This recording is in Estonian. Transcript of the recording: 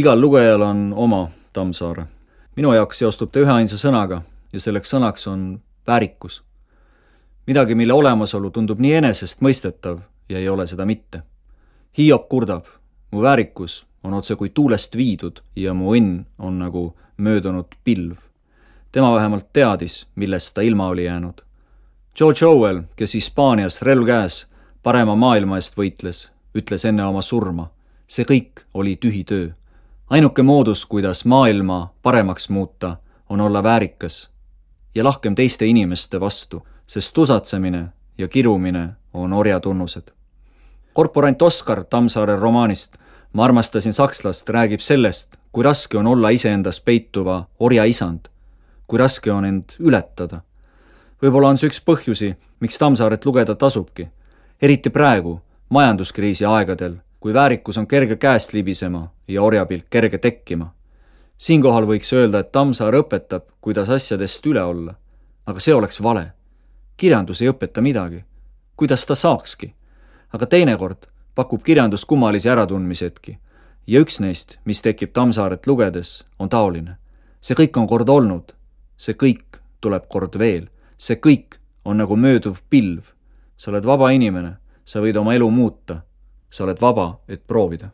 Igal lugejal on oma Tammsaare. Minu jaoks seostub ta üheainsa sõnaga ja selleks sõnaks on väärikus. Midagi, mille olemasolu tundub nii enesestmõistetav ja ei ole seda mitte. Hiob kurdab, mu väärikus on otse kui tuulest viidud ja mu õnn on nagu möödunud pilv. Tema vähemalt teadis, millest ta ilma oli jäänud. George Orwell, kes Hispaanias relv käes parema maailma eest võitles, ütles enne oma surma. See kõik oli tühi töö. Ainuke moodus, kuidas maailma paremaks muuta, on olla väärikas ja lahkem teiste inimeste vastu, sest tusatsemine ja kirumine on orja tunnused. Korporant Oskar Tammsaare romaanist Ma armastasin sakslast räägib sellest, kui raske on olla iseendas peituva orja isand, kui raske on end ületada. Võib-olla on see üks põhjusi, miks Tammsaaret lugeda tasubki, eriti praegu, majanduskriisi aegadel, kui väärikus on kerge käest libisema ja orjapilk kerge tekkima. Siinkohal võiks öelda, et Tammsaar õpetab, kuidas asjadest üle olla, aga see oleks vale. Kirjandus ei õpeta midagi, kuidas ta saakski, aga teinekord pakub kirjandus kummalisi äratundmisetki ja üks neist, mis tekib Tammsaaret lugedes, on taoline. See kõik on kord olnud, see kõik tuleb kord veel, see kõik on nagu mööduv pilv. Sa oled vaba inimene, sa võid oma elu muuta, sa oled vaba, et proovida.